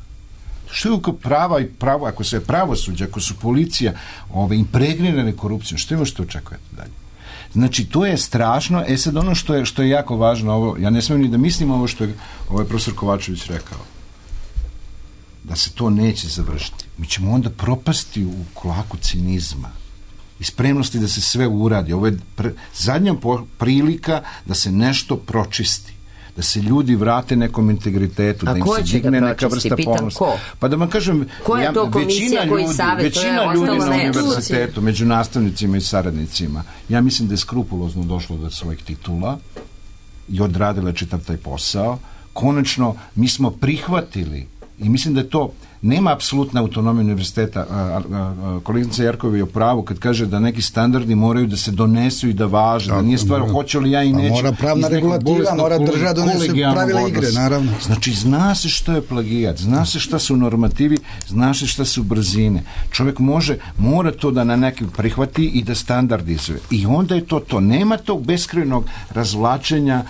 Što je oko prava i pravo, ako se je pravosuđe, ako su policija ove, impregrirane korupcijom, što je ovo što očekujete dalje? Znači, to je strašno. E sad ono što je, što je jako važno, ovo, ja ne smijem ni da mislim ovo što je ovaj profesor Kovačević rekao, da se to neće završiti. Mi ćemo onda propasti u klaku cinizma i spremnosti da se sve uradi. Ovo je pre, zadnja prilika da se nešto pročisti. da se ljudi vrate nekom integritetu, A da im ko se će digne ga neka pročisti? vrsta Pitam ponosa. ko? Pa da vam kažem, Ko je to komisija većina koji ljudi, savjetuje, većina ostalo ljudi na ne? univerzitetu, među nastavnicima i saradnicima, ja mislim da je skrupulozno došlo do svojih titula i odradila čitav taj posao. Konačno, mi smo prihvatili i mislim da je to, nema apsolutna autonomija univerziteta. Kolegica Jerkova je u pravu kad kaže da neki standardi moraju da se donesu i da važe, da nije stvar hoće li ja i neću. Mora pravna regulativa, mora država donese pravila igre, naravno. Znači, zna se što je plagijat, zna se šta su normativi, zna se šta su brzine. Čovjek može, mora to da na nekim prihvati i da standardizuje. I onda je to to. Nema tog beskrajnog razvlačenja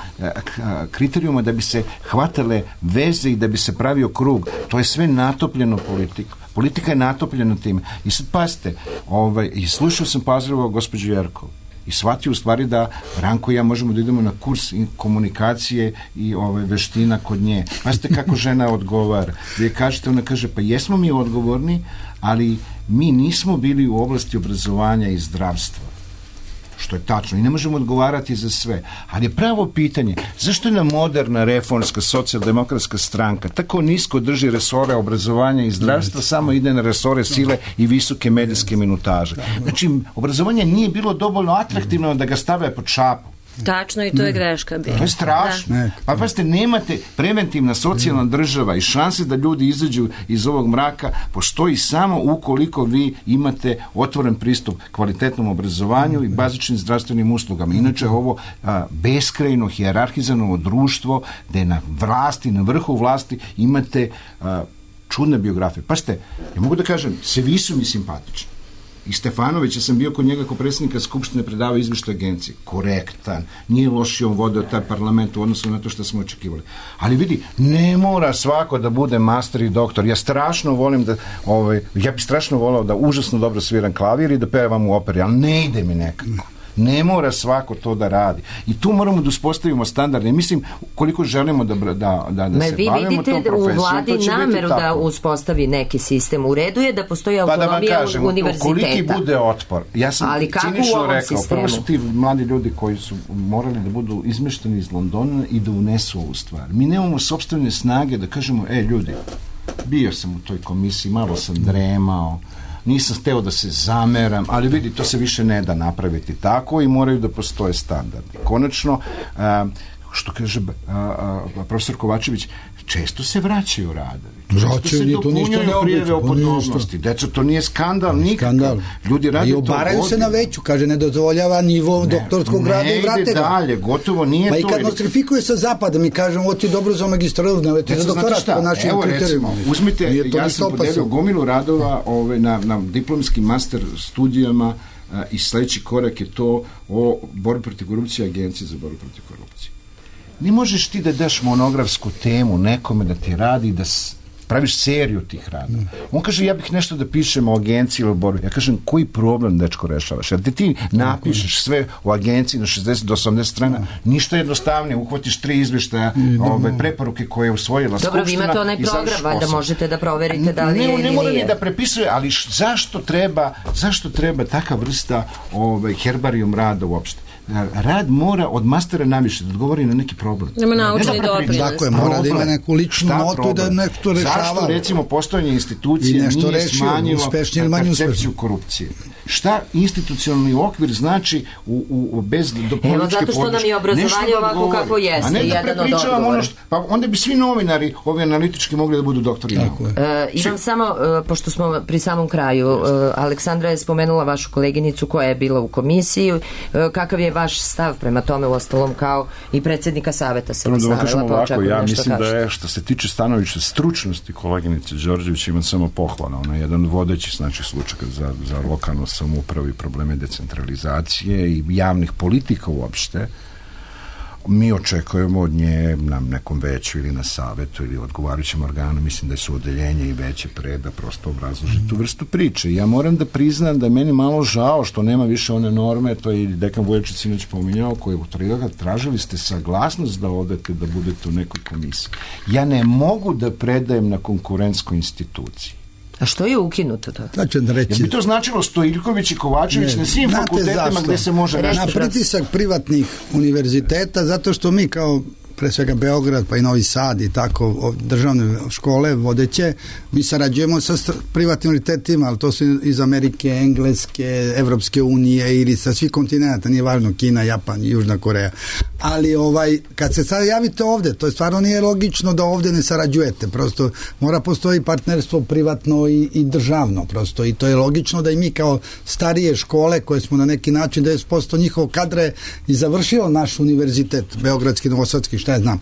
kriterijuma da bi se hvatale veze i da bi se pravio krug. To je sve natopljeno politiku. Politika je natopljena time. I sad pazite, ovaj, i slušao sam pažljivo gospođu Jerkov i shvatio u stvari da Ranko i ja možemo da idemo na kurs komunikacije i ove veština kod nje. Pazite kako žena odgovara. Vi kažete, ona kaže, pa jesmo mi odgovorni, ali mi nismo bili u oblasti obrazovanja i zdravstva. Što je tačno. I ne možemo odgovarati za sve. Ali je pravo pitanje, zašto je nam moderna reformska socijaldemokratska stranka tako nisko drži resore obrazovanja i zdravstva, samo ide na resore sile i visoke medijske minutaže. Znači, obrazovanje nije bilo dovoljno atraktivno da ga stave pod šapu. Tačno, i to je greška bila. To je strašno. Da. Pa pazite, nemate preventivna socijalna država i šanse da ljudi izađu iz ovog mraka postoji samo ukoliko vi imate otvoren pristup kvalitetnom obrazovanju i bazičnim zdravstvenim uslugama. Inače, ovo a, beskrajno hijerarhizano društvo gde na vlasti, na vrhu vlasti imate a, čudne biografije. Pazite, ja mogu da kažem, svi su mi simpatični. I Stefanovića sam bio kod njega kao predsjednika Skupštine, predavao izvještaj agencije. Korektan, nije loši on vodio taj parlament u odnosu na to što smo očekivali. Ali vidi, ne mora svako da bude master i doktor. Ja strašno volim da, ovaj, ja bi strašno volao da užasno dobro sviram klavir i da pevam u operi, ali ne ide mi nekako. Ne mora svako to da radi. I tu moramo da uspostavimo standarde. Mislim, koliko želimo da, da, da, da Me se bavimo tom profesijom, to će biti tako. Vi vidite u vladi nameru da uspostavi neki sistem. U redu je da postoji autonomija pa da kažem, univerziteta. Koliki bude otpor. Ja sam ali kako cinično u ovom rekao, sistemu? prvo su ti mladi ljudi koji su morali da budu izmešteni iz Londona i da unesu ovu stvar. Mi nemamo sopstvene snage da kažemo, e ljudi, bio sam u toj komisiji, malo sam dremao, nisam hteo da se zameram, ali vidi, to se više ne da napraviti tako i moraju da postoje standardi. Konačno, a, što kaže a, a, profesor Kovačević, često se vraćaju radovi. Često se dopunjuju prijeve o podobnosti. Deco, to nije skandal nikakav. Ljudi rade to obaraju se na veću, kaže, ne dozvoljava nivo ne, doktorskog rada i vrate ga. Ne ide dalje, gotovo nije pa to. Pa i kad nostrifikuje sa zapada, mi kažemo, ovo ti je dobro za magistratu, ne ti za doktorat po našim kriterijima. Uzmite, ja sam podelio gomilu radova ove, na, na diplomskim master studijama a, i sledeći korak je to o borbi protiv korupcije, agencije za borbu protiv korupcije. Ne možeš ti da daš monografsku temu nekome da ti radi, da praviš seriju tih radova. On kaže, ja bih nešto da pišem o agenciji ili o borbi. Ja kažem, koji problem, dečko, rešavaš? Jer ti napišeš sve o agenciji na šezdeset do osamdeset strana, ništa jednostavnije, uhvatiš tri izveštaja, ove preporuke koje je usvojila Skupština. Dobro, vi imate onaj program, valjda možete da proverite da li je ili nije. Ne mora ni da prepisuje, ali zašto treba, zašto treba taka vrsta ove, herbarijum rada uopšte? Rad mora od mastera naviše da odgovori na neki problem. Nema naučni doprinos. Tako je, mora da ima neku ličnu notu da nešto rešava. Zašto, recimo, postojanje institucije nije rešio, smanjilo percepciju korupcije? Šta institucionalni okvir znači u, u, bez do političke podrške? Evo, zato što nam je obrazovanje ovako kako jeste. A ne da prepričavam ono što... Pa onda bi svi novinari, ovi analitički, mogli da budu doktori. Tako je. E, imam samo, e, pošto smo pri samom kraju, e, Aleksandra je spomenula vašu koleginicu koja je bila u komisiji. E, kakav je vaš stav prema tome, u ostalom kao i predsjednika saveta se da stavila, pa očekujem ja nešto mislim kažete. da je, što se tiče stanovišta stručnosti koleginice Đorđević, imam samo pohvala. Ona je jedan vodeći, znači, slučaj za, za lokalnu samoupravu i probleme decentralizacije i javnih politika uopšte. Mi očekujemo od nje na nekom veću ili na savetu ili odgovarajućem organu, mislim da su odeljenje i veće pre da prosto obrazloži tu vrstu priče. Ja moram da priznam da je meni malo žao što nema više one norme, to je i dekan Vujačić sinoć pominjao, koji je utrigao, tražili ste saglasnost da odete da budete u nekoj komisiji. Ja ne mogu da predajem na konkurentskoj instituciji. A što je ukinuto to? Znači, da reći... Jer bi to značilo Stojiljković i Kovačević ne, na svim fakultetima gde se može... Na pritisak privatnih univerziteta, zato što mi kao pre svega Beograd, pa i Novi Sad i tako, državne škole vodeće, mi sarađujemo sa privatnim univerzitetima, ali to su iz Amerike, Engleske, Evropske unije ili sa svih kontinenta, nije važno, Kina, Japan, Južna Koreja. Ali ovaj, kad se sad javite ovde, to je stvarno nije logično da ovde ne sarađujete, prosto mora postoji partnerstvo privatno i, i državno, prosto, i to je logično da i mi kao starije škole koje smo na neki način devedeset posto njihovog kadra je i završilo naš univerzitet, Beogradski, Novosadski, šta ja znam,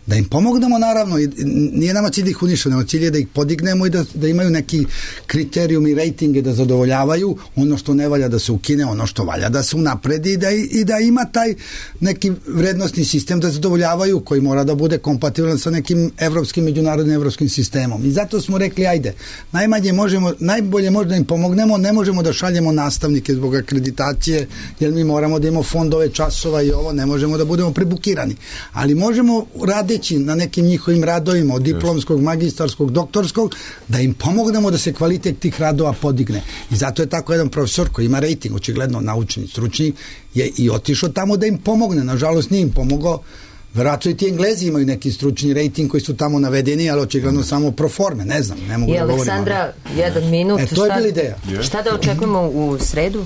da im pomognemo naravno, i nije nama cilj da ih uništimo, cilj je da ih podignemo i da, da imaju neki kriterijum i rejtinge da zadovoljavaju, ono što ne valja da se ukine, ono što valja da se unapredi i da, i da ima taj neki vrednostni sistem da zadovoljavaju, koji mora da bude kompatibilan sa nekim evropskim, međunarodnim evropskim sistemom. I zato smo rekli, ajde, najmanje možemo, najbolje možda da im pomognemo, ne možemo da šaljemo nastavnike zbog akreditacije, jer mi moramo da imamo fondove časova i ovo, ne možemo da budemo prebukirani. Ali možemo radeći na nekim njihovim radovima, od diplomskog, magistarskog, doktorskog, da im pomognemo da se kvalitet tih radova podigne. I zato je tako jedan profesor koji ima rejting, očigledno naučni, stručni, je i otišao tamo da im pomogne. Nažalost nije im pomogao. Vjerojatno i ti Englezi imaju neki stručni rejting koji su tamo navedeni, ali očigledno samo pro forme, ne znam, ne mogu I da govorim. I Aleksandra, jedan minut. E, to je bila ideja. Šta da očekujemo u sredu?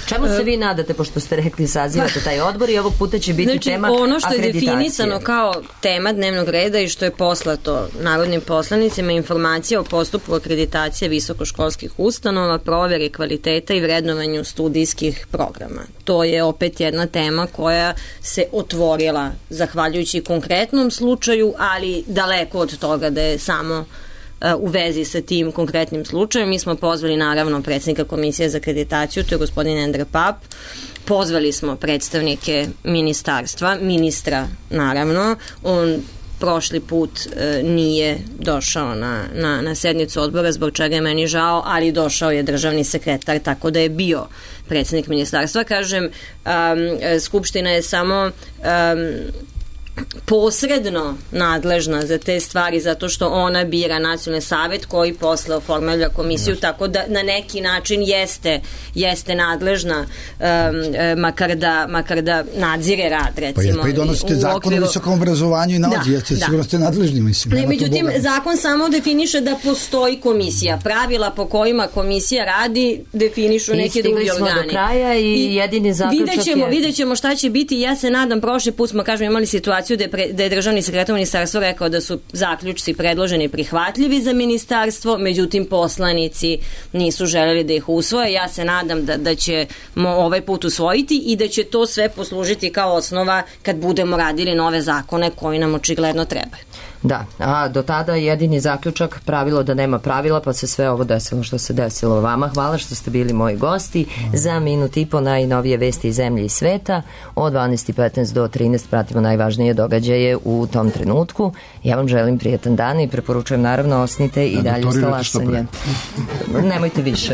Čemu se vi nadate, pošto ste rekli sazivate taj odbor i ovog puta će biti znači, tema ono što je akreditacije. definisano kao tema dnevnog reda i što je poslato narodnim poslanicima, informacija o postupku akreditacije visokoškolskih ustanova, proveri kvaliteta i vrednovanju studijskih programa. To je opet jedna tema koja se otvorila zahvaljujući konkretnom slučaju, ali daleko od toga da je samo u vezi sa tim konkretnim slučajem. Mi smo pozvali naravno predsjednika Komisije za akreditaciju, to je gospodin Endre Pap, pozvali smo predstavnike ministarstva, ministra naravno, on prošli put e, nije došao na, na, na sednicu odbora, zbog čega je meni žao, ali došao je državni sekretar, tako da je bio predsjednik ministarstva. Kažem, um, Skupština je samo um, posredno nadležna za te stvari zato što ona bira nacionalni savet koji posle oformlja komisiju, tako da na neki način jeste jeste nadležna um, makar, da, makar da nadzire rad, recimo. Pa, pa i donosite zakon okviru... o visokom obrazovanju i nauci, da, jeste da. Sigurno ste nadležni, mislim. Ne, međutim, zakon samo definiše da postoji komisija. Pravila po kojima komisija radi definišu neki drugi organi. I stigli smo do kraja i, I jedini zaključak vidjet ćemo, je... vidjet ćemo šta će biti. Ja se nadam, prošli put smo, kažem, imali situaciju Da je, pre, da je državni sekretar ministarstva rekao da su zaključci predloženi prihvatljivi za ministarstvo, međutim poslanici nisu želeli da ih usvoje. Ja se nadam da, da ćemo ovaj put usvojiti i da će to sve poslužiti kao osnova kad budemo radili nove zakone koji nam očigledno trebaju. Da, a do tada jedini zaključak, pravilo da nema pravila, pa se sve ovo desilo što se desilo vama. Hvala što ste bili moji gosti. Za minut i po najnovije vesti iz zemlje i sveta. Od dvanaest i petnaest do trinaest pratimo najvažnije događaje u tom trenutku. Ja vam želim prijetan dan i preporučujem naravno osnite i dalje uz talasanje. Nemojte više.